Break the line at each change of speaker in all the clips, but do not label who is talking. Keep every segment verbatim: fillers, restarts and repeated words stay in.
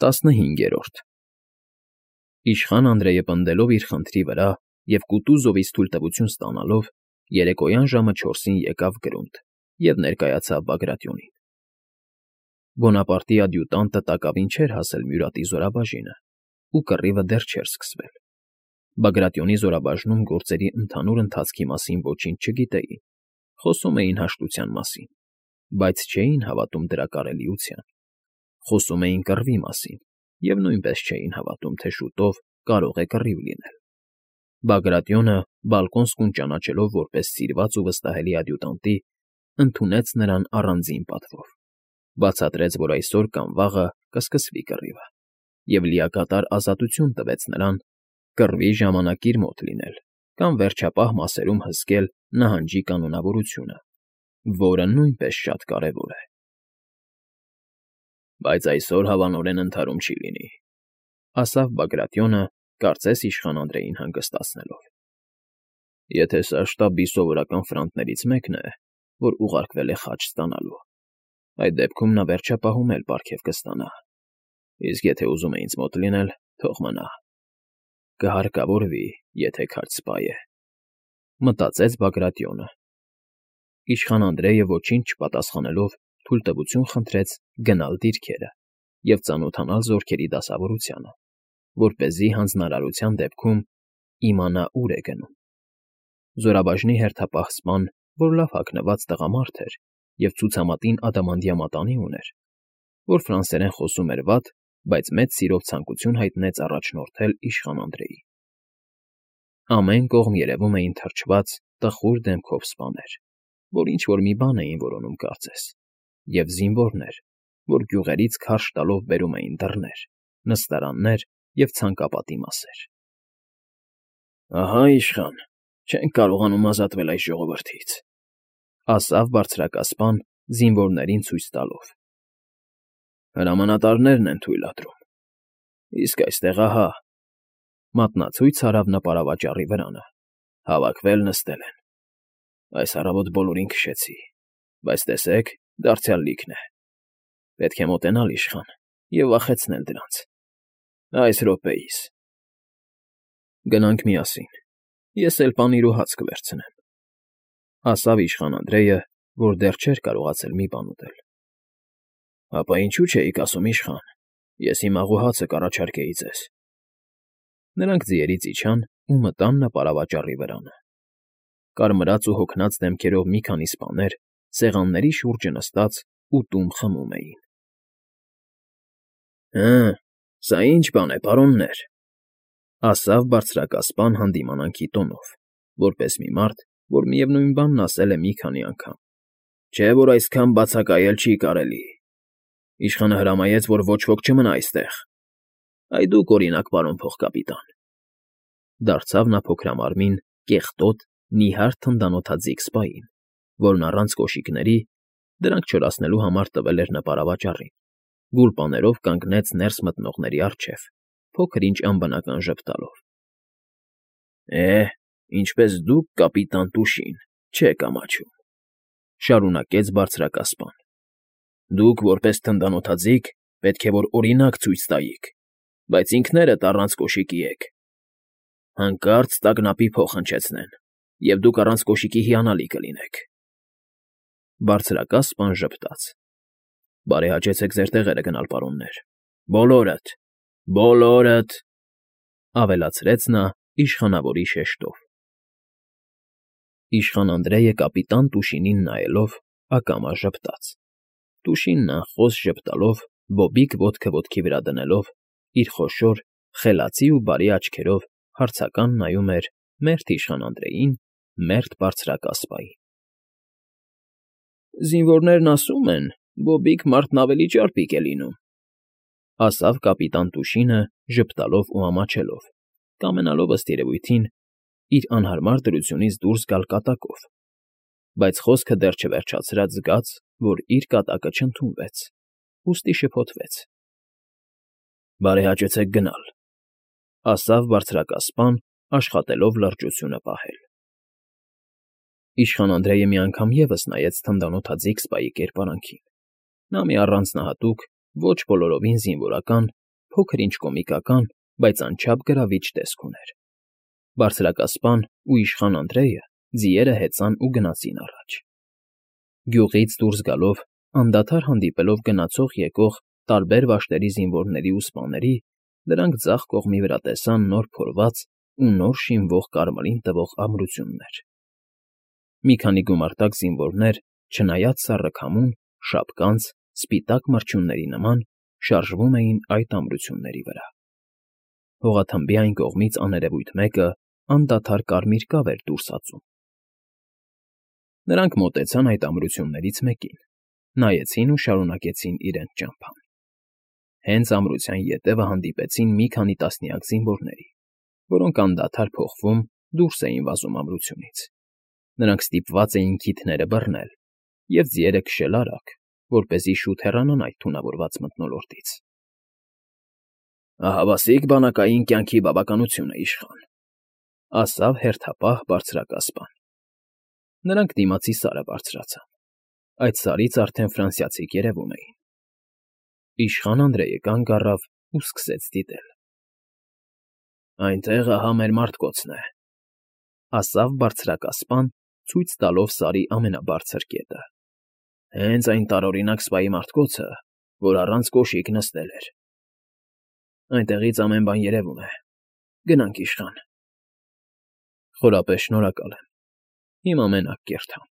ՏԱՍՆՀԻՆԳԵՐՈՐԴ Իշխան Անդրեյը պնդելով իր խնդրի վրա և Կուտուզովից թույլտվություն ստանալով, երեկոյան ժամը չորսին եկավ գրունտ և ներկայացավ Բագրատյոնին։ Բոնապարտի ադյուտանտը տակավին չէր հասել Մյուրատի զորաբաժինը, ու կռիվը դեռ չէր սկսվել։ Բագրատյոնի զորաբաժնում գործերի ընդհանուր ընթացքի մասին ոչինչ չգիտեին, խոսում էին հաշտության մասին, բայց չէին հավատում դրա կարելիության։ Խոսում էին կռվի մասին և նույնպես չէին հավատում, թե շուտով կարող է կռիվ լինել։ Բագրատյոնը, Բալկոնսկուն ճանաչելով որպես սիրված ու վստահելի ադյուտանտի, ընդունեց նրան առանձին պատվով, բացատրեց, որ այսօր կամ վաղը կսկսվի կռիվը, և լիակատար ազատություն տվեց նրան կռվի ժամանակ իր մոտ լինել կամ վերջապահ մասերում հսկել նահանջի կանոնավորությունը, որը նույնպես շատ կարևոր է։ ֊ Բայց այսօր հավանորեն ընդհարում չի լինի,֊ ասավ Բագրատյոնը, կարծես իշխան Անդրեյին հանգստացնելով։ ֊ Եթե սա շտաբի սովորական ֆրանտներից մեկն է, որ ուղարկվել է խաչ ստանալու, այդ դեպքում նա վերջապահում էլ պարգև կստանա, իսկ եթե ուզում է ինձ մոտ լինել, թող մնա, կհարկավորվի, եթե քաջ սպա է,֊ մտածեց Բագրատյոնը։ Իշխան Անդրեյը ոչինչ չպատասխանելով թույլտվություն խնդրեց գնալ դիրքերը և ծանոթանալ զորքերի դասավորությանը, որպեսզի հանձնարարության դեպքում իմանա ուր է գնում։ Զորաբաժնի հերթապահ սպան, որ լավ հագնված տղամարդ էր և ցուցամատին ադամանդյա մատանի ուներ, որ ֆրանսերեն խոսում էր վատ, բայց մեծ սիրով ցանկություն հայտնեց առաջնորդել իշխան Անդրեյին։ Ամեն կողմ երևում էին թրջված, տխուր դեմքով սպաներ, որ ինչ֊որ մի բան էին որոնում կարծես, և զինվորներ, որ գյուղերից քարշ տալով բերում էին դռներ, նստարաններ և ցանկապատի մասեր։ ֊ Ահա, իշխան, չենք կարողանում ազատվել այս ժողովրդից,֊ ասավ բարձրակասպան, զինվորներին ցույց տալով։ ֊ Հրամանատարներն են թույլատրում, իսկ այստեղ ահա…֊ մատնացույց արավ նա պարավաճառի վրանը,֊ հավաքվել նստել են։ Այս առավոտ բոլորին քշեցի, բայց տեսեք, դարձյալ լիքն է։ Պետք է մոտենալ, իշխան, և վախեցնել դրանց… այս րոպեիս… Գնանք միասին, ես էլ պանիր ու հաց կվերցնեմ,֊ ասավ իշխան Անդրեյը, որ դեռ չէր կարողացել մի բան ուտել։ ֊ Հապա ինչու չէիք ասում, իշխան, ես հիմա աղու հացը կառաջարկեի ձեզ։ Նրանք ձիերից իջան ու մտան նա պարավաճառի վրանը։ Կարմրած ու հոգնած դեմքերով մի քանի սպաներ սեղանների շուրջը նստած ուտում խմում էին։ ֊ Հը, սա ի՞նչ բան է, պարոններ,֊ ասավ բարձրակասպան հանդիմանանքի տոնով, որպես մի մարդ, որ միևնույն բանն ասել է մի քանի անգամ։ Չէ՞ որ այսքան բացակայել չի կարելի։ Իշխանը հրամայեց, որ ոչ ոք չմնա այստեղ։ Այ դուք, օրինակ, պարոն փոխկապիտան,֊ դարձավ նա փոքրամարմին, կեղտոտ, նիհար թնդանոթաձիգ սպային, որն առանց կոշիկների (դրանք չորացնելու համար տվել էր նա պարավաճառին) գուլպաներով կանգնեց ներս մտնողների առջև, փոքր֊ինչ անբնական ժպտալով։ ֊ Է, ինչպես դուք, կապիտան Տուշին, չեք ամաչում,֊ շարունակեց բարձրակասպան,֊ դուք, որպես թնդանոթաձիգ, պետք է որ օրինակ ցույց տայիք, բայց ինքներդ առանց կոշիկի եք… Հանկարծ տագնապի փող հնչեցնեն, և դուք առանց կոշիկի հիանալի կլինեք… Բարձրակասպան ժպտաց։ ֊ Բարեհաճեցեք ձեր տեղերը գնալ, պարոններ, բոլորդ, բոլորդ,֊ ավելացրեց նա իշխանավորի շեշտով։ Իշխան Անդրեյը կապիտան Տուշինին նայելով ակամա ժպտաց։ Տուշինն անխոս ժպտալով, բոբիկ ոտքը ոտքի վրա դնելով, իր խոշոր, խելացի ու բարի աչքերով հարցական նայում էր մերթ իշխան Անդրեյին, մերթ բարձրակասպանին։ ֊ Զինվորներն ասում են, բոբիկ մարդն ավելի ճարպիկ է լինում,֊ ասավ կապիտան Տուշինը ժպտալով ու ամաչելով, կամենալով, ըստ երևույթին, իր անհարմար դրությունից դուրս գալ կատակով, բայց խոսքը դեռ չվերջացրած զգաց, որ իր կատակը չընդունվեց, ուստի շփոթվեց։ ֊ Բարեհաճեցեք գնալ,֊ ասավ բարձրակասպան, աշխատելով լրջությունը պահել։ Իշխան Անդրեյը մի անգամ ևս նայեց թնդանոթաձիգ սպայի կերպարանքին։ Նա մի առանձնահատուկ, ոչ բոլորովին զինվորական, փոքր-ինչ կոմիկական, բայց անչափ գրավիչ տեսք ուներ։ Բարձրակասպան ու իշխան Անդրեյը ձիերը հեծան ու գնացին առաջ։ Գյուղից դուրս գալով, անդադար հանդիպելով գնացող֊եկող տարբեր վայրերի զինվորների ու սպաների, դրանք ձախ կողմի վրա տեսան նոր փորված ու նոր շինվող կարմրին տվող ամրություններ։ Մի քանի գումարտակ զինվորներ, չնայած սառը քամուն, շապկանց, սպիտակ մրջյունների նման, շարժվում էին այդ ամրությունների վրա։ Հողաթմբի այն կողմից աներևույթ մեկը անդադար կարմիր կավ էր դուրս ածում։ Նրանք մոտեցան այդ ամրություններից մեկին, նայեցին ու շարունակեցին իրենց ճամփան։ Հենց ամրության ետևը հանդիպեցին մի քանի տասնյակ զինվորների, որոնք անդադար փոխվում դուրս էին վազում ամրությունից։ Նրանք ստիպված էին քիթները բռնել և ձիերը քշել արագ, որպեսզի շուտ հեռանան այդ թունավորված մթնոլորտից։ «Ահավասիկ բանակային կյանքի բավականություն է, իշխան,֊ ասավ հերթապահ բարձրակասպան։ Նրանք դիմացի սարը բարձրացան։ Այդ սարից արդեն ֆրանսիացիք երևում էին։ Իշխան Անդրեյը կանգ առավ ու սկսեց դիտել։ «Այնտեղ ահա մեր մարտկոցն է,֊ ասավ բարձրակասպան, ցույց տալով սարի ամենաբարձր կետը։ Հենց այն տարօրինակ սպայի մարտկոցը, որ առանց կոշիկ նստել էր։ Այնտեղից ամեն բան երևում է։ Գնանք, իշխան»։ Խորապես շնորհակալ եմ։ Հիմա մենակ կերթամ,֊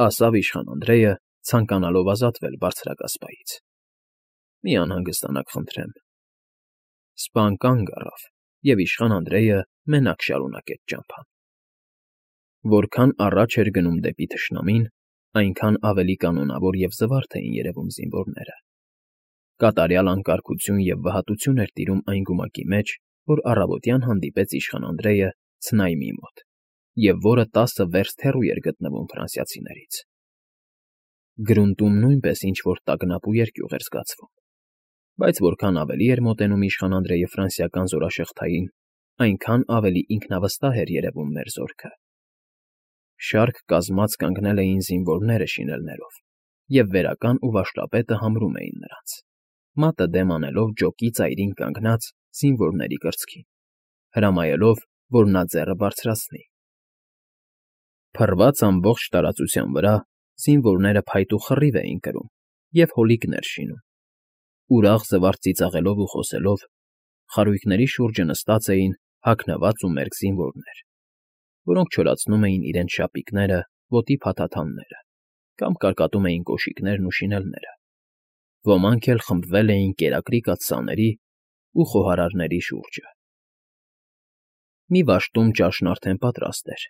ասավ իշխան Անդրեյը, ցանկանալով ազատվել բարձրակասպայից։ Մի անհանգստանաք, խնդրեմ։ Սպան կանգ առավ, և իշխան Անդրեյը մենակ շարունակեց ճամփան։ Որքան առաջ էր գնում դեպի թշնամին, այնքան ավելի կանոնավոր և զվարթ էին երևում զինվորները։ Կատարյալ անկարգություն և վհատություն էր տիրում այն գումակի մեջ, որ առավոտյան հանդիպեց իշխան Անդրեյը Ցնայմի մոտ, և որը տասը վերստ հեռու էր գտնվում ֆրանսիացիներից։ Գրունտում նույնպես ինչ֊որ տագնապ ու երկյուղ էր զգացվում, բայց որքան ավելի էր մոտենում իշխան Անդրեյը ֆրանսիական զորաշղթային, այնքան ավելի ինքնավստահ էր երևում մեր զորքը։ Շարք կազմած կանգնել էին զինվորները շինելներով, և վերական ու վաշտապետը համրում էին նրանց, մատը դեմ անելով ջոկի ծայրին կանգնած զինվորների կրծքին, հրամայելով, որ նա ձեռը բարձրացնի։ Փռված ամբողջ տարածության վրա զինվորները փայտ ու խռիվ էին կրում և հոլիկներ շինում։ Ուրախ զվարթ ծիծաղելով ու խոսելով, խարույկների շուրջը նստած էին հագնված ու մերկ զինվորներ, որոնք չորացնում էին իրենց շապիկները, ոտի փաթաթանները կամ կարկատում էին կոշիկներն ու շինելները։ Ոմանք էլ խմբվել էին կերակրի կաթսաների ու խոհարարների շուրջը։ Մի վաշտում ճաշն արդեն պատրաստ էր,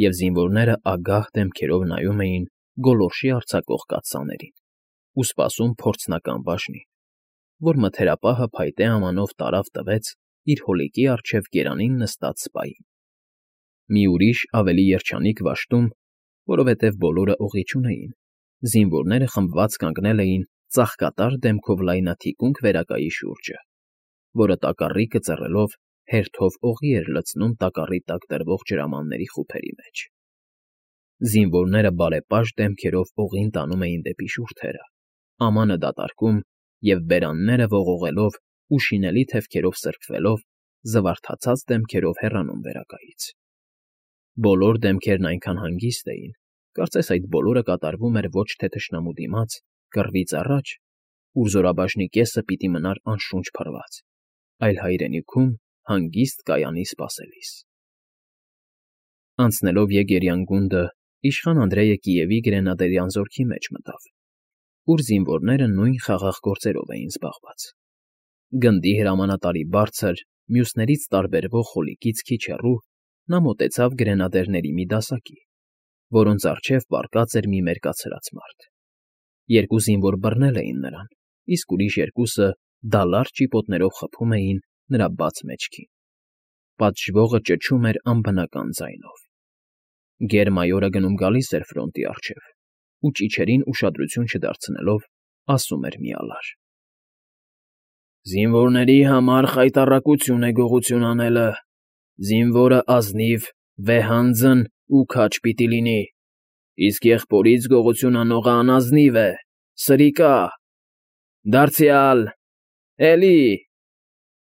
և զինվորները ագահ դեմքերով նայում էին գոլորշի արձակող կաթսաներին ու սպասում փորձնական բաժնին, որ մթերապահը փայտե ամանով տարավ տվեց իր հոլիկի առջև գերանին նստած սպային։ Մի ուրիշ, ավելի երջանիկ վաշտում, որովհետև բոլորը օղի չունեին, զինվորները խմբված կանգնել էին ծաղկատար դեմքով լայնաթիկունք վերակայի շուրջը, որը տակառիկը ծռելով հերթով օղի էր լցնում տակառի տակ դրվող ջրամանների խուփերի մեջ։ Զինվորները բարեպաշտ դեմքերով օղին տանում էին դեպի շուրթերը, ամանը դատարկում և բերանները ողողելով ու շինելի թևքերով սրբվելով, զվարթացած դեմքերով հեռանում վերակայից։ Բոլոր դեմքերն այնքան հանգիստ էին, կարծես այդ բոլորը կատարվում էր ոչ թե թշնամու դիմաց, կռվից առաջ, ուր զորաբաժնի կեսը պիտի մնար անշունչ փռված, այլ հայրենիքում հանգիստ կայանի սպասելիս։ Անցնելով Եգերյան գունդը, իշխան Անդրեյը Կիևի գրենադերյան զորքի մեջ մտավ, ուր զինվորները նույն խաղաղ գործերով էին զբաղված։ Գնդի հրամանատարի բարձր, մյուսներից տարբերվող խոլիկից քիչ հեռու նա մոտեցավ գրենադերների մի դասակի, որոնց առջև պառկած էր մի մերկացրած մարդ։ Երկու զինվոր բռնել էին նրան, իսկ ուրիշ երկուսը դալար ճիպոտներով խփում էին նրա բաց մեջքին։ Պատժվողը ճչում էր անբնական ձայնով։ Գեր֊մայորը գնում֊գալիս էր ֆրոնտի առջև ու ճիչերին ուշադրություն չդարձնելով ասում էր մի ալար. «Զինվորների համար խայտառակություն է գողություն անելը, զինվորը ազնիվ, վեհանձն ու քաջ պիտի լինի, իսկ եղբորից գողություն անողը անազնիվ է, սրիկա, դարձյալ, էլի,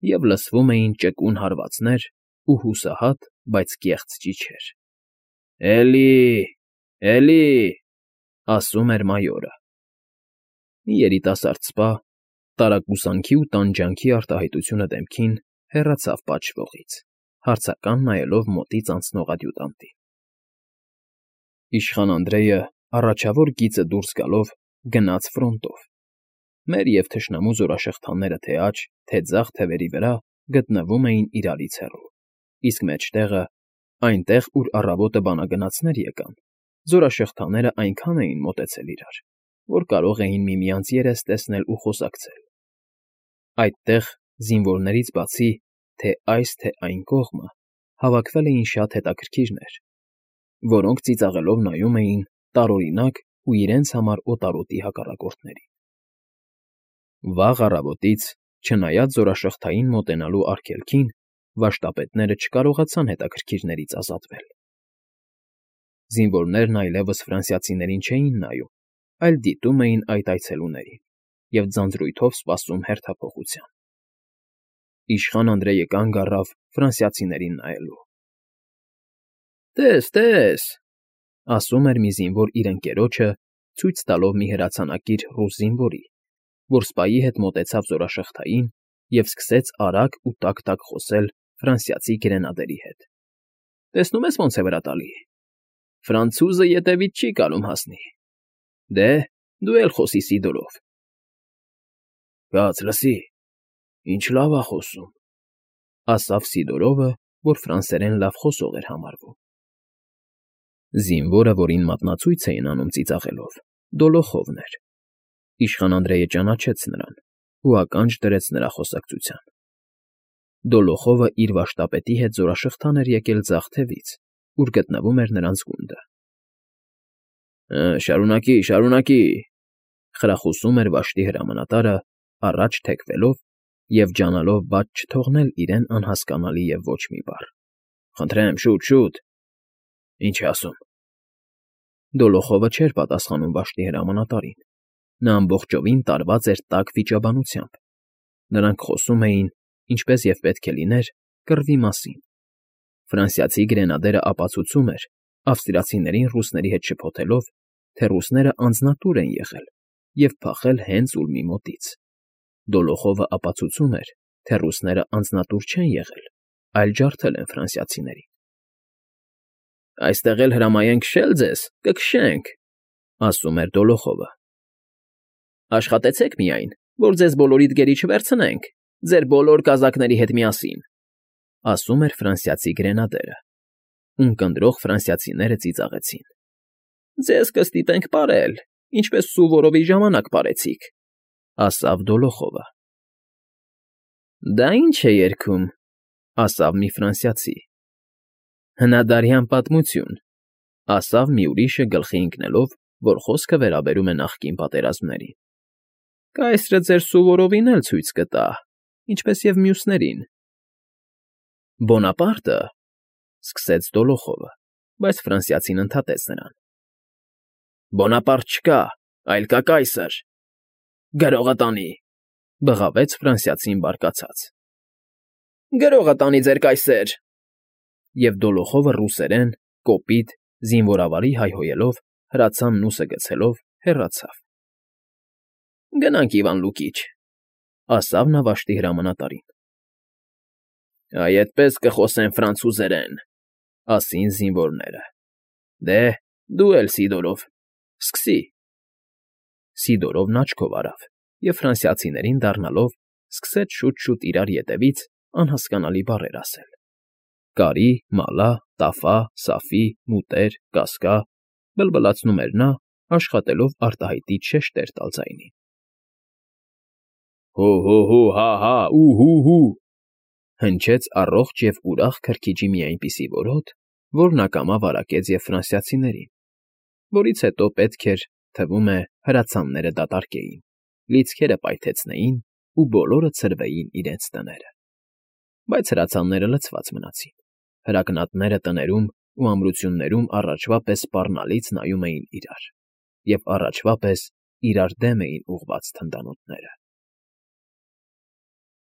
և լսվում էին ճկուն հարվածներ ու հուսահատ, բայց կեղծ ճիչեր։ ֊ Էլի՜, էլի՜, ասում էր մայորը։ Մի երիտասարդ սպա, տարակուսանքի ու տանջանքի արտահայտությունը դեմքին, հեռացավ պատժվողից, հարցական նայելով մոտից անցնող ադյուտանտին։ Իշխան Անդրեյը առաջավոր գիծը դուրս գալով գնաց ֆրոնտով։ Մեր և թշնամու զորաշղթաները թե աջ, թե ձախ թևերի վրա գտնվում էին իրարից հեռու, իսկ մեջտեղը, այնտեղ, ուր առավոտը բանագնացներ եկան, զորաշղթաներն այնքան էին մոտեցել իրար, որ կարող էին միմյանց երես տեսնել ու խոսակցել։ Այդտեղ, զինվորներից բացի, թե այս, թե այն կողմը հավաքվել էին շատ հետաքրքիրներ, որոնք ծիծաղելով նայում էին տարօրինակ ու իրենց համար օտարոտի հակառակորդներին։ Վաղ առավոտից, չնայած զորաշղթային մոտենալու արգելքին, վաշտապետները չկարողացան հետաքրքիրներից ազատվել։ Զինվորներն այլևս ֆրանսիացիներին չէին նայում, այլ դիտում էին այդ այցելուներին և ձանձրույթով սպասում հերթափոխության։ Իշխան Անդրեյը կանգ առավ ֆրանսիացիներին նայելու։ ֊ Տես, տես,֊ ասում էր մի զինվոր իր ընկերոջը, ցույց տալով մի հրացանակիր ռուս զինվորի, որ սպայի հետ մոտեցավ զորաշղթային և սկսեց արագ ու տաք֊տաք խոսել ֆրանսիացի գրենադերի հետ։ ֊ Տեսնում ես ոնց է վրա տալի… Ֆրանցուզը ետևից չի կարում հասնի… Դե, դու էլ խոսի Սիդորով… ֊ Կաց լսի, ինչ լավ ա խոսում,֊ ասավ Սիդորովը, որ ֆրանսերեն լավ խոսող էր համարվում։ Զինվորը, որին մատնացույց էին անում ծիծաղելով, Դոլոխովն էր։ Իշխան Անդրեյը ճանաչեց նրան ու ականջ դրեց նրա խոսակցության։ Դոլոխովը իր վաշտապետի հետ զորաշղթան էր եկել ձախ թևից, ուր գտնվում էր նրանց գունդը։ ֊ Շարունակի, շարունակի,֊ խրախուսում էր վաշտի հրամանատարը, առաջ թեքվելով և ջանալով բաց չթողնել իրեն անհասկանալի և ոչ մի բառ։ ֊ Խնդրեմ, շուտ, շուտ… Ինչ է ասում… Դոլոխովը չէր պատասխանում վաշտի հրամանատարին։ Նա ամբողջովին տարված էր տաք վիճաբանությամբ։ Նրանք խոսում էին, ինչպես և պետք է լիներ, կռվի մասին։ Ֆրանսիացի գրենադերը ապացուցում էր, ավստրիացիներին ռուսների հետ շփոթելով, թե ռուսները անձնատուր են եղել և փախել հենց Ուլմի մոտից։ Դոլոխովը ապացուցում էր, թե ռուսները անձնատուր չեն եղել, այլ ջարդել են ֆրանսիացիներին։ ֊ Այստեղ էլ հրամայենք քշել ձեզ, կքշենք,֊ ասում էր Դոլոխովը։ ֊ Աշխատեցեք միայն, որ ձեզ բոլորիդ գերի չվերցնենք, ձեր բոլոր կազակների հետ միասին,֊ ասում էր ֆրանսիացի գրենադերը։ Ունկնդրող ֆրանսիացիները ծիծաղեցին։ ֊ Ձեզ կստիպենք պարել, ինչպես Սուվորովի ժամանակ պարեցիք,֊ ասավ Դոլոխովը։ ֊ Դա ի՞նչ է երգում,֊ ասավ մի ֆրանսիացի։ ֊ Հնադարյան պատմություն,֊ ասավ մի ուրիշը գլխի ընկնելով, որ խոսքը վերաբերում է նախկին պատերազմներին։ ֊ Կայսրը ձեր Սուվորովին էլ ցույց կտա, ինչպես և մյուսներին։ ֊ Բոնապարտը,֊ սկսեց Դոլոխովը, բայց ֆրանսիացին ընդհատեց նրան։ ֊ Բոնապարտ չկա, այլ կա կայսր… Գրողը տանի,֊ բղավեց ֆրանսիացին բարկացած։ ֊ Գրողը տանի, ձեր կայսեր… Եվ Դոլոխովը ռուսերեն, կոպիտ, զինվորավարի հայհոյելով, հրացանն ուսը գցելով, հեռացավ։ ֊ Գնանք, Իվան Լուկիչ,֊ ասավ նա վաշտի հրամանատարին։ ֊ Այ էդպես կխոսեն ֆրանցուզերեն,֊ ասին զինվորները։ ֊ Դե, դու էլ, Սիդորով, սկսի… Սիդորովն աչքով արավ և ֆրանսիացիներին դառնալով, սկսեց շուտ֊շուտ իրար ետևից անհասկանալի բառեր ասել. կարի, մալա, տաֆա, սաֆի, մուտեր, կասկա, բլբլացնում էր նա, աշխատելով արտահայտիչ շեշտեր տալ ձայնին։ Հո՛֊հո՛֊հո՛, հա՛֊հա՛, ու՛֊հու՛֊հու՛, հնչեց առողջ և ուրախ քրքիջի մի այնպիսի որոտ, որն ակամա վարակեց և ֆրանսիացիներին, որից հետո պետք էր, թվում է, հրացանները դատարկեին, լիցքերը պայթեցնեին ու բոլորը ցրվեին իրենց տները։ Բայց հրացանները լցված մնացին, հրակնատները տներում ու ամրություններում առաջվա պես սպառնալից նայում էին իրար, և առաջվա պես իրար դեմ էին ուղղված թնդանոթները։